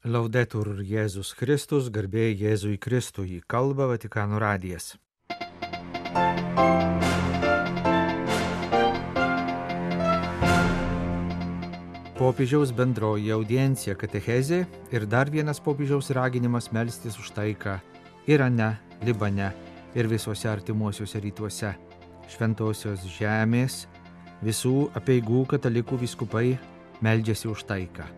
Laudetur Jėzus Kristus, garbė Jėzui Kristui, kalba Vatikano radijas. Popiežiaus bendroji audiencija katechezė ir dar vienas popiežiaus raginimas melstis už taiką Irane, Libane ir visuose artimuosiuose rytuose. Šventosios žemės visų apeigų katalikų vyskupai meldžiasi už taiką.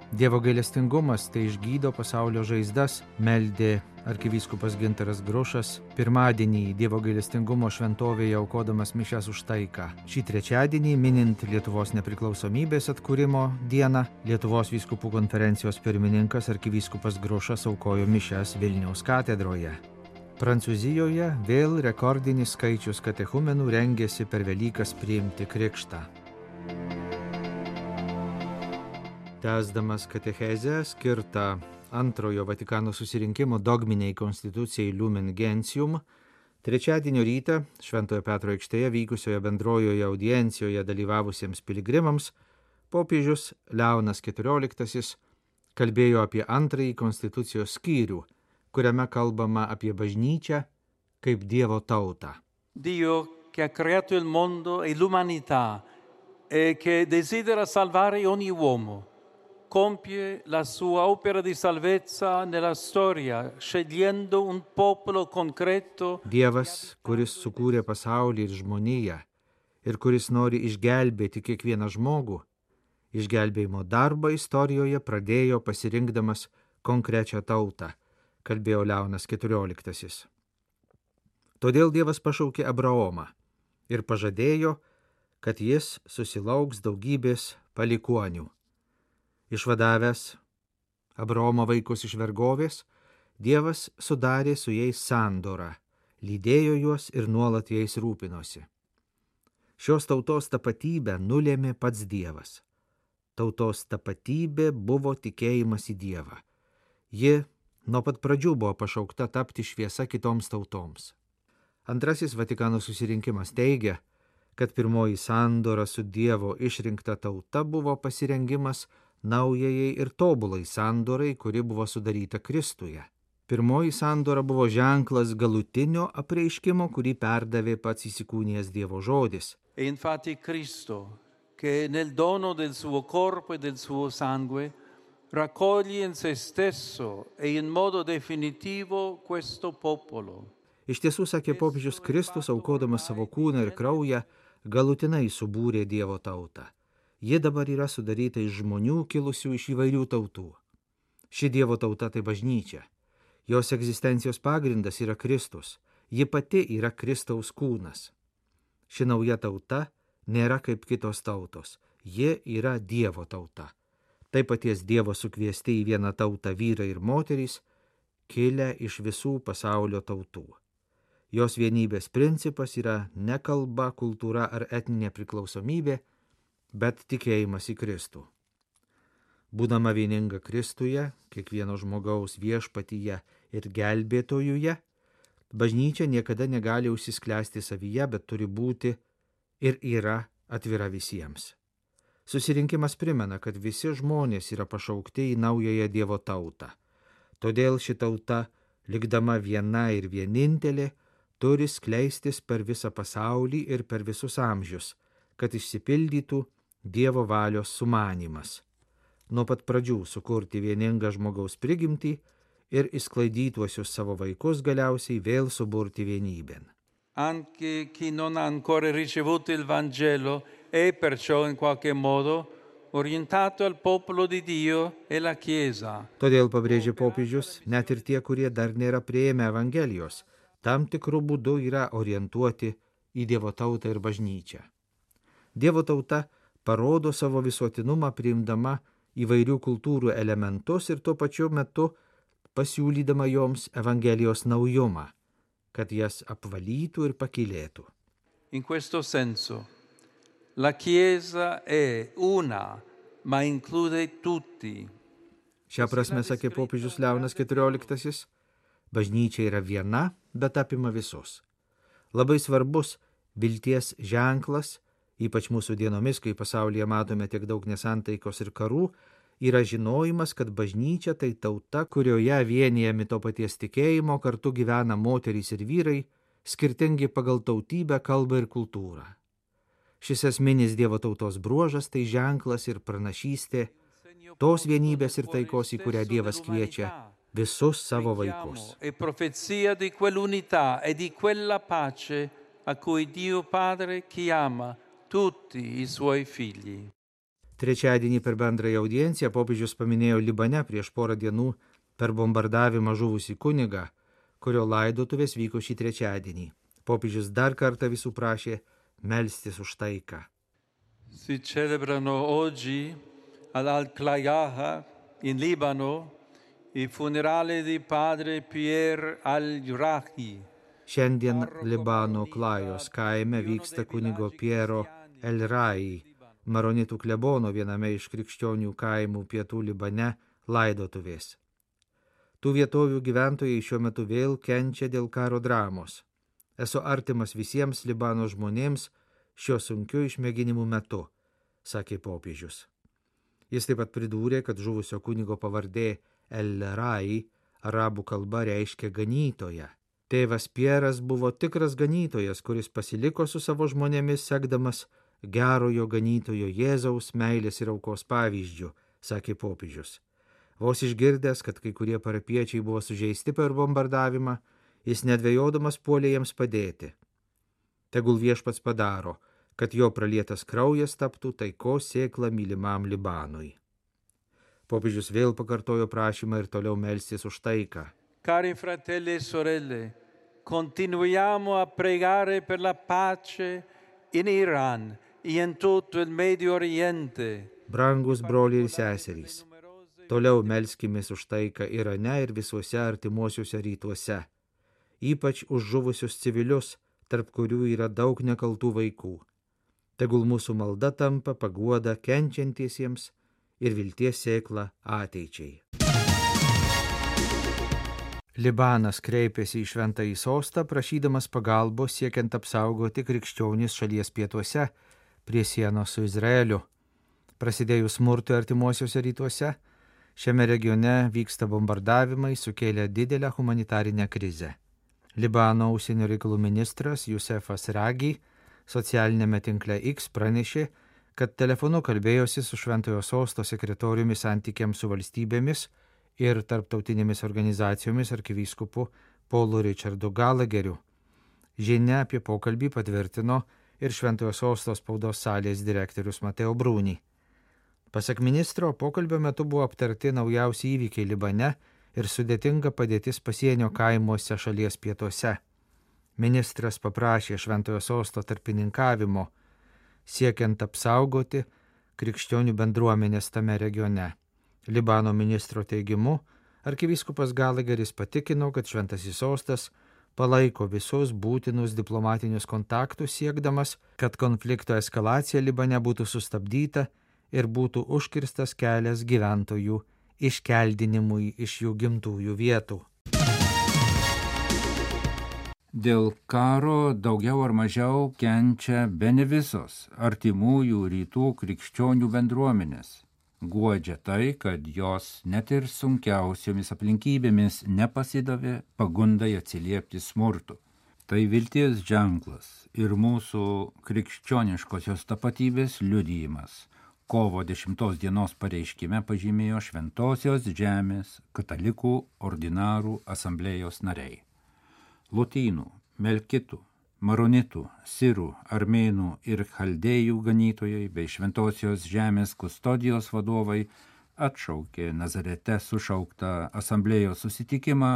Dievo gailestingumas tai išgydo pasaulio žaizdas, meldė arkivyskupas Gintaras Grušas pirmadienį Dievo gailestingumo šventovėje aukodamas mišias už taiką. Šį trečiadienį, minint Lietuvos nepriklausomybės atkūrimo dieną, Lietuvos vyskupų konferencijos pirmininkas arkivyskupas Grušas aukojo mišias Vilniaus katedroje. Prancūzijoje vėl rekordinis skaičius katechumenų rengėsi per Velykas priimti krikštą. Tęsdamas katechezę skirtą antrojo Vatikano susirinkimo dogminiai konstitucijai Lumen Gentium, trečiadienio rytą Šventojo Petro aikštėje vykusioje bendrojoje audiencijoje dalyvavusiems piligrimams popiežius Leonas XIV kalbėjo apie antrąjį konstitucijos skyrių, kuriame kalbama apie bažnyčią kaip Dievo tautą. Dio che ha creato il mondo e l'umanità e che desidera salvare ogni uomo. Compie la sua opera di salvezza nella storia, scegliendo un popolo concreto. Dievas, kuris sukūrė pasaulį ir žmoniją ir kuris nori išgelbėti kiekvieną žmogų, išgelbėjimo darbą istorijoje pradėjo pasirinkdamas konkrečią tautą, kalbėjo Leonas XIV. Todėl Dievas pašaukė Abraomą ir pažadėjo, kad jis susilauks daugybės palikuonių. Išvadavęs Abraomo vaikus iš vergovės, Dievas sudarė su jais sandorą, lydėjo juos ir nuolat jais rūpinosi. Šios tautos tapatybę nulėmė pats Dievas. Tautos tapatybė buvo tikėjimas į Dievą. Ji nuo pat pradžių buvo pašaukta tapti šviesa kitoms tautoms. Antrasis Vatikano susirinkimas teigia, kad pirmoji sandora su Dievo išrinkta tauta buvo pasirengimas naujajai ir tobulai sandorai, kuri buvo sudaryta Kristuje. Pirmoji sandora buvo ženklas galutinio apreiškimo, kurį perdavė pats įsikūnijęs Dievo žodis. E infatti Cristo, che nel dono del suo corpo e del suo sangue raccoglie in se stesso e in modo definitivo questo popolo. Iš tiesų, sakė popiežius, Kristus, aukodamas savo kūną ir kraują, galutinai subūrė Dievo tautą. Ji dabar yra sudaryta iš žmonių kilusių iš įvairių tautų. Ši Dievo tauta tai bažnyčia. Jos egzistencijos pagrindas yra Kristus. Ji pati yra Kristaus kūnas. Ši nauja tauta nėra kaip kitos tautos. Ji yra Dievo tauta. Tai paties Dievo sukviesti į vieną tautą vyrai ir moterys, kilę iš visų pasaulio tautų. Jos vienybės principas yra ne kalba, kultūra ar etninė priklausomybė, bet tikėjimas į Kristų. Būdama vieninga Kristuje, kiekvieno žmogaus viešpatyje ir gelbėtojuje, bažnyčia niekada negali užsisklęsti savyje, bet turi būti ir yra atvira visiems. Susirinkimas primena, kad visi žmonės yra pašaukti į naująją Dievo tautą. Todėl ši tauta, likdama viena ir vienintelė, turi skleistis per visą pasaulį ir per visus amžius, kad išsipildytų Dievo valios sumanymas. Nuo pat pradžių sukurti vieningą žmogaus prigimtį ir išsklaidytuosius savo vaikus galiausiai vėl suburti vienybėn. Anche chi non ha ancora ricevuto il Vangelo è perciò in qualche modo orientato al popolo di Dio e la Chiesa. Todėl pabrėžė popiežius, net ir tie, kurie dar nėra priėmę Evangelijos, tam tikrų būdų yra orientuoti į Dievo tautą ir bažnyčią. Dievo tauta parodo savo visuotinumą priimdama įvairių kultūrų elementus ir tuo pačiu metu pasiūlydama joms Evangelijos naujumą, kad jas apvalytų ir pakylėtų. In questo senso, la Chiesa è una, ma include tutti. Šią prasme, sakė popiežius Leonas XIV, bažnyčia yra viena, bet apima visus. Labai svarbus vilties ženklas, ypač mūsų dienomis, kai pasaulyje matome tiek daug nesantaikos ir karų, yra žinojimas, kad bažnyčia tai tauta, kurioje vienijami to paties tikėjimo, kartu gyvena moterys ir vyrai, skirtingi pagal tautybę, kalbą ir kultūrą. Šis esminis Dievo tautos bruožas tai ženklas ir pranašystė, tos vienybės ir taikos, į kurią Dievas kviečia visus savo vaikus. E profezia di quell'unità e di quella pace a cui Dio Padre chiama tutti i suoi figli. Trečiadienį per bendrąją audienciją popiežius paminėjo Libane prieš porą dienų per bombardavimą žuvusį kunigą, kurio laidotuvės vyko šį trečiadienį. Popiežius dar kartą visų prašė melstis už taiką. Si celebrano oggi ad Al-Klayaha in Libano i funerali di padre Pierre Al-Jurahi. Šiandien Libano Klajos kaime vyksta kunigo Piero El-Rai, maronitų klebono viename iš krikščionių kaimų pietų Libane laidotuvės. Tų vietovių gyventojai šiuo metu vėl kenčia dėl karo dramos. Esu artimas visiems Libano žmonėms šiuo sunkiu išmėginimų metu, sakė popiežius. Jis taip pat pridūrė, kad žuvusio kunigo pavardė El-Rai arabų kalba reiškia ganytoją. Tėvas Pieras buvo tikras ganytojas, kuris pasiliko su savo žmonėmis, sekdamas gerojo ganytojo Jėzaus meilės ir aukos pavyzdžių, sakė popiežius. Vos išgirdęs, kad kai kurie parapiečiai buvo sužeisti per bombardavimą, jis nedvejodamas puolė jiems padėti. Tegul Viešpats padaro, kad jo pralietas kraujas taptų taikos sėkla mylimam Libanui. Popiežius vėl pakartojo prašymą ir toliau melstis už taiką. Cari fratelli e sorelle, continuiamo a pregare per la pace in Iran e in tutto il Medio Oriente. Brangus broliai ir seserys, toliau melskimės už taiką Irane ir visuose artimuosiuose rytuose, ypač už žuvusius civilius, tarp kurių yra daug nekaltų vaikų. Tegul mūsų malda tampa paguoda kenčiantiesiems ir vilties sėkla ateičiai. Libanas kreipėsi į Šventąjį Sostą, prašydamas pagalbos siekiant apsaugoti krikščionis šalies pietuose prie sienos su Izraeliu. Prasidėjus smurtui artimuosiuose rytuose, šiame regione vyksta bombardavimai, sukėlė didelę humanitarinę krizę. Libano užsienio reikalų ministras Jusefas Ragi socialinėme tinkle X pranešė, kad telefonu kalbėjosi su Šventojo Sosto sekretoriumi santykiams su valstybėmis ir tarptautinėmis organizacijomis arkivyskupu Paulu Richardu Gallagheriu. Žinia apie pokalbį patvirtino ir Šventojo Sosto spaudos salės direktorius Mateo Bruni. Pasak ministro, pokalbio metu buvo aptarti naujausi įvykiai Libane ir sudėtinga padėtis pasienio kaimuose šalies pietuose. Ministras paprašė Šventojo Sosto tarpininkavimo, siekiant apsaugoti krikščionių bendruomenės tame regione. Libano ministro teigimu, arkivyskupas Gallagheris patikino, kad Šventasis Sostas palaiko visus būtinus diplomatinius kontaktus siekdamas, kad konflikto eskalacija Libane būtų sustabdyta ir būtų užkirstas kelias gyventojų iškeldinimui iš jų gimtųjų vietų. Dėl karo daugiau ar mažiau kenčia bene visos artimųjų rytų krikščionių bendruomenės. Guodžia tai, kad jos net ir sunkiausiomis aplinkybėmis nepasidavė pagundai atsiliepti smurtu. Tai vilties ženklas ir mūsų krikščioniškosios tapatybės liudijimas. Kovo 10 dienos pareiškime pažymėjo Šventosios žemės katalikų ordinarų asamblėjos nariai. Lotynų, melkitų, maronitų, sirų, armėnų ir chaldėjų ganytojai bei Šventosios žemės kustodijos vadovai atšaukė Nazarete sušauktą asamblėjos susitikimą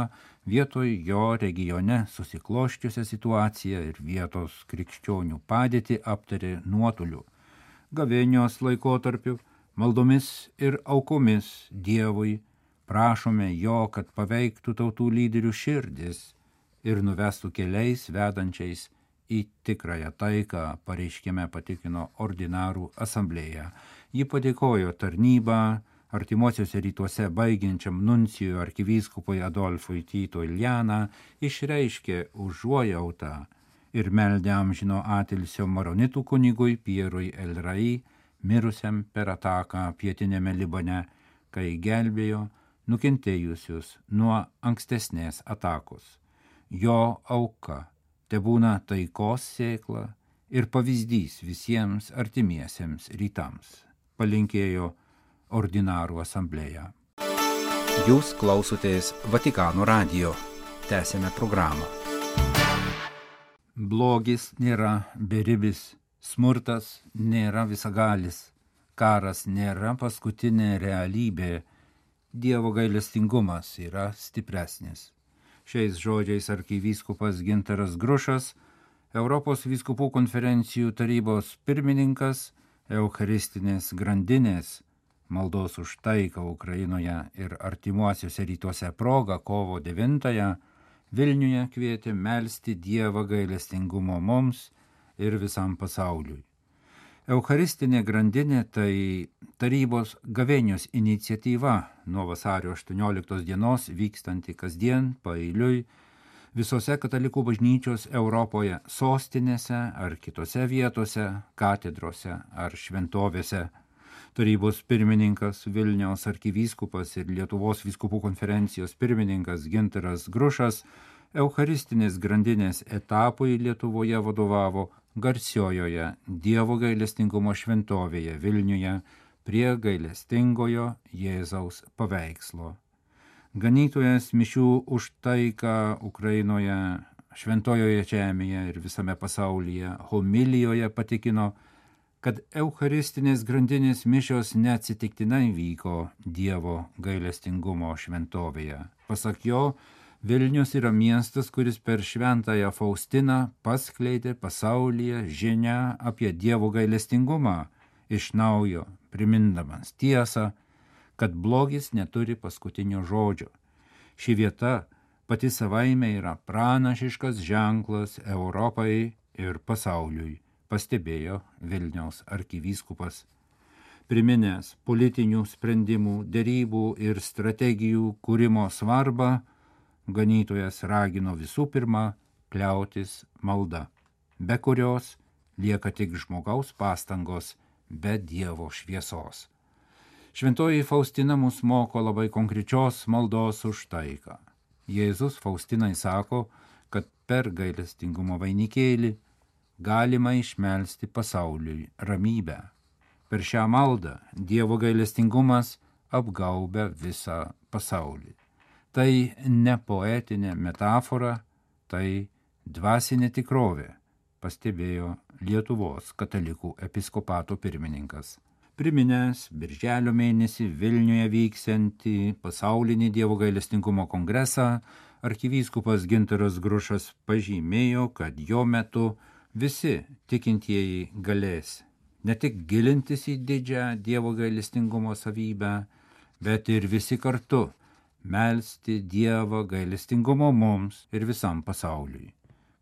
vietoj jo regione susikloščiusią situaciją ir vietos krikščionių padėtį aptarė nuotoliu. Gavėnios laikotarpiu, maldomis ir aukomis Dievui prašome jo, kad paveiktų tautų lyderių širdis ir nuvestų keliais vedančiais į tikrąją taiką, pareiškime patikino ordinarų asamblėją. Ji padėkojo tarnybą artimuosiuose rytuose baigiančiam nuncijui arkivyskupui Adolfui Tito Iljaną, išreiškė užuojautą ir meldė amžino atilsio maronitų kunigui Pierui El-Rai, mirusiam per ataką pietinėme Libane, kai gelbėjo nukentėjusius nuo ankstesnės atakos. Jo auka tebūna taikos sėkla ir pavyzdys visiems artimiesiems rytams, palinkėjo Ordinarų asamblėja. Jūs klausotės Vatikano radijo. Tęsėme programą. Blogis nėra beribis, smurtas nėra visagalis, karas nėra paskutinė realybė, Dievo gailestingumas yra stipresnis. Šiais žodžiais arkivyskupas Gintaras Grušas, Europos vyskupų konferencijų tarybos pirmininkas, Eucharistinės grandinės maldos už taiką Ukrainoje ir artimuosiuose rytuose proga kovo 9-ąją Vilniuje kvietė melsti Dievą gailestingumo mums ir visam pasauliui. Eucharistinė grandinė tai tarybos gavėnios iniciatyva nuo vasario 18 dienos vykstanti kasdien paeiliui visose katalikų bažnyčios Europoje sostinėse ar kitose vietose, katedrose ar šventovėse. Tarybos pirmininkas Vilniaus arkivyskupas ir Lietuvos vyskupų konferencijos pirmininkas Gintaras Grušas Eucharistinės grandinės etapui Lietuvoje vadovavo garsiojoje Dievo gailestingumo šventovėje Vilniuje prie gailestingojo Jėzaus paveikslo. Ganytojas mišių už taiką Ukrainoje, šventojoje žemėje ir visame pasaulyje homilijoje patikino, kad Eucharistinės grandinės mišios neatsitiktinai vyko Dievo gailestingumo šventovėje. Pasak jo, Vilnius yra miestas, kuris per šventąją Faustiną paskleidė pasaulyje žinią apie Dievo gailestingumą, iš naujo primindamas tiesą, kad blogis neturi paskutinio žodžio. Ši vieta pati savaime yra pranašiškas ženklas Europai ir pasauliui, pastebėjo Vilniaus arkivyskupas. Priminęs politinių sprendimų, derybų ir strategijų kūrimo svarbą, ganytojas ragino visų pirma kliautis malda, be kurios lieka tik žmogaus pastangos be Dievo šviesos. Šventoji Faustina mus moko labai konkrečios maldos už taiką. Jėzus Faustinai sako, kad per gailestingumo vainikėlį galima išmelsti pasauliui ramybę. Per šią maldą Dievo gailestingumas apgaubia visą pasaulį. Tai ne poetinė metafora, tai dvasinė tikrovė, pastebėjo Lietuvos katalikų episkopato pirmininkas. Priminęs birželio mėnesį Vilniuje vyksiantį pasaulinį Dievo gailestingumo kongresą, arkivyskupas Gintaras Grušas pažymėjo, kad jo metu visi tikintieji galės ne tik gilintis į didžią Dievo gailestingumo savybę, bet ir visi kartu melsti Dievą gailestingumo mums ir visam pasauliui.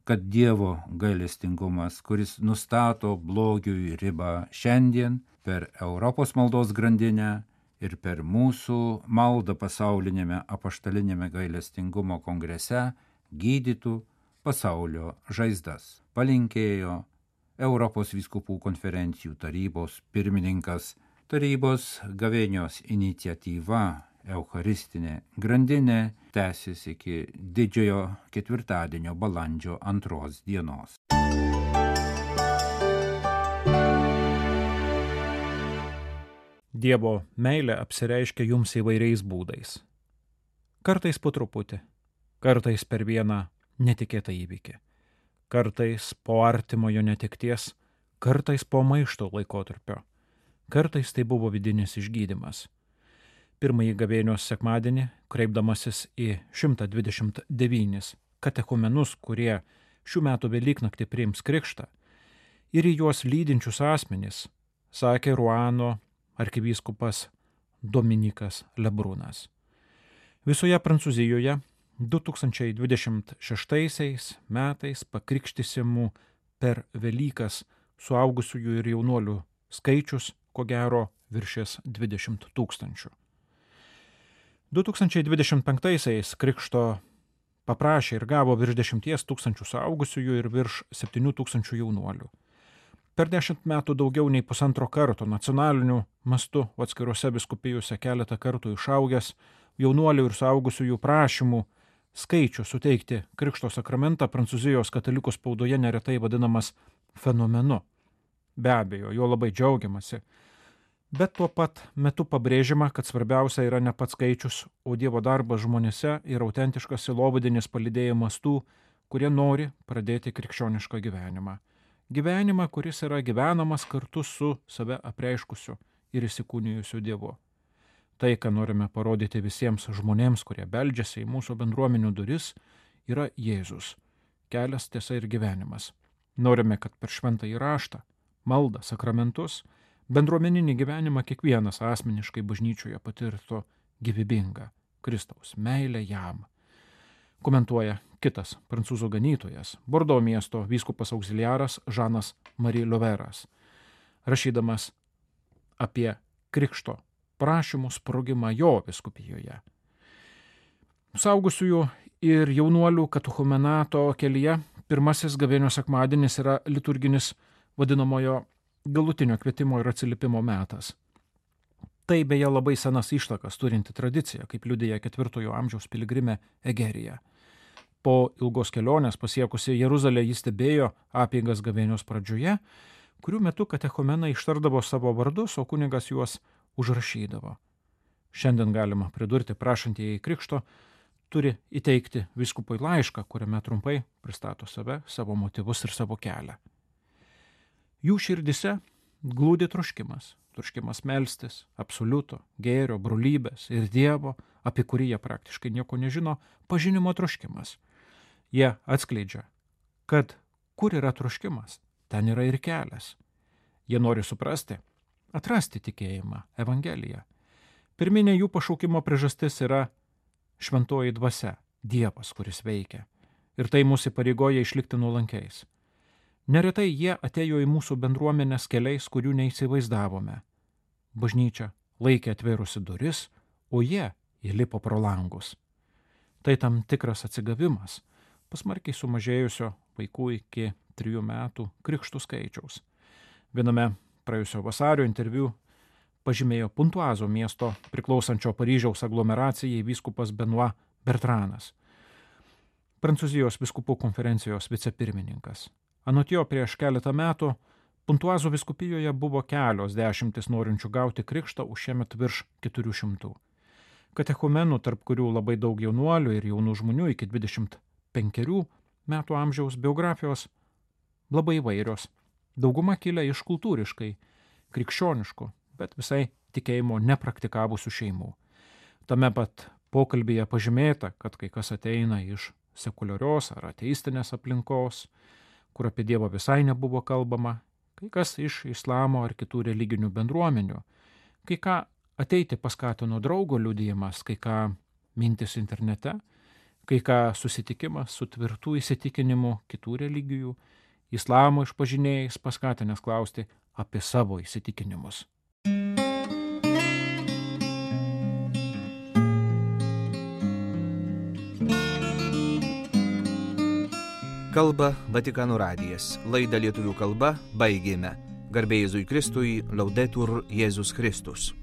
Kad Dievo gailestingumas, kuris nustato blogiui ribą šiandien per Europos maldos grandinę ir per mūsų maldą pasaulinėme apaštalinėme gailestingumo kongrese, gydytų pasaulio žaizdas, palinkėjo Europos vyskupų konferencijų tarybos pirmininkas. Tarybos gavėnios iniciatyva Eucharistinė grandinė tęsis iki didžiojo ketvirtadienio balandžio 2 dienos. Dievo meilė apsireiškia jums įvairiais būdais. Kartais po truputį, kartais per vieną netikėtą įvykį, kartais po artimojo netekties, kartais po maišto laikotarpio, kartais tai buvo vidinis išgydymas. Pirmąjį gavėnios sekmadienį, kreipdamasis į 129 katechumenus, kurie šių metų Velyknaktį priims krikštą, ir į juos lydinčius asmenys, sakė Ruano arkivyskupas Dominikas Lebrūnas. Visoje Prancūzijoje 2026 metais pakrikštysimų per Velykas suaugusiųjų ir jaunuolių skaičius, ko gero, viršės 20 000. 2025 krikšto paprašė ir gavo virš 10 000 suaugusiųjų ir virš 7 000 jaunuolių. Per 10 metų daugiau nei 1,5 karto nacionaliniu mastu atskiruose vyskupijose keletą kartų išaugęs jaunuolių ir suaugusiųjų prašymų skaičių suteikti Krikšto sakramentą Prancūzijos katalikų spaudoje neretai vadinamas fenomenu. Be abejo, jo labai džiaugiamasi. Bet tuo pat metu pabrėžiama, kad svarbiausia yra ne pats skaičius, o Dievo darbas žmonėse ir autentiškas sielovadinis palydėjimas tų, kurie nori pradėti krikščionišką gyvenimą. Gyvenimą, kuris yra gyvenamas kartu su save apreiškusiu ir įsikūnijusiu Dievu. Tai, ką norime parodyti visiems žmonėms, kurie beldžiasi į mūsų bendruomenių duris, yra Jėzus, kelias, tiesa ir gyvenimas. Norime, kad per šventąjį raštą, maldą, sakramentus, bendruomeninį gyvenimą kiekvienas asmeniškai bažnyčioje patirtų gyvybingą Kristaus meilę jam. Komentuoja kitas prancūzų ganytojas, Bordo miesto vyskupas auxiliaras Žanas Marie Loveras, rašydamas apie krikšto prašymų sprogimą jo vyskupijoje. Suaugusiųjų ir jaunuolių katechumenato kelyje pirmasis gavėnios sekmadienis yra liturginis vadinamojo galutinio kvietimo ir atsiliepimo metas. Tai beje labai senas ištakas turinti tradicija, kaip liudija 4 amžiaus piligrimė Egerija. Po ilgos kelionės pasiekusi Jeruzalę jis stebėjo apeigas gavėnios pradžioje, kurių metu katechumenai ištardavo savo vardus, o kunigas juos užrašydavo. Šiandien galima pridurti, prašantieji krikšto turi įteikti vyskupui laišką, kuriame trumpai pristato save, savo motyvus ir savo kelią. Jų širdise glūdi troškimas melstis, absoliuto, gėrio, brolybės ir Dievo, apie kurį jie praktiškai nieko nežino, pažinimo troškimas. Jie atskleidžia, kad kur yra troškimas, ten yra ir kelias. Jie nori suprasti, atrasti tikėjimą, Evangeliją. Pirminė jų pašaukimo priežastis yra šventoji dvasia, Dievas, kuris veikia. Ir tai mūsų įpareigoja išlikti nuolankiais. Neretai jie atėjo į mūsų bendruomenės keliais, kurių neįsivaizdavome. Bažnyčia laikė atvėrusi duris, o jie įlipo pro langus. Tai tam tikras atsigavimas, pasmarkiai sumažėjusio vaikų iki 3 metų krikštų skaičiaus. Viename praėjusio vasario interviu pažymėjo Puntuazo miesto priklausančio Paryžiaus aglomeracijai vyskupas Benoit Bertranas, Prancūzijos vyskupų konferencijos vicepirmininkas. Anot jo prieš keletą metų Puntuazo vyskupijoje buvo kelios dešimtis norinčių gauti krikštą, už šiemet virš 400. Katechumenų, tarp kurių labai daug jaunuolių ir jaunų žmonių iki 25 metų amžiaus, biografijos labai įvairios. Dauguma kilę iš kultūriškai krikščioniškų, bet visai tikėjimo nepraktikavusių šeimų. Tame pat pokalbyje pažymėta, kad kai kas ateina iš sekuliarios ar ateistinės aplinkos, kur apie Dievą visai nebuvo kalbama, kai kas iš islamo ar kitų religinių bendruomenių, kai ką ateiti paskatino draugo liudijimas, kai ką mintis internete, kai ką susitikimas su tvirtų įsitikinimu kitų religijų, islamo išpažinėjais paskatinęs klausti apie savo įsitikinimus. Kalba Vatikano radijas. Laidą lietuvių kalba baigėme. Garbė Jėzui Kristui, Laudetur Jėzus Kristus.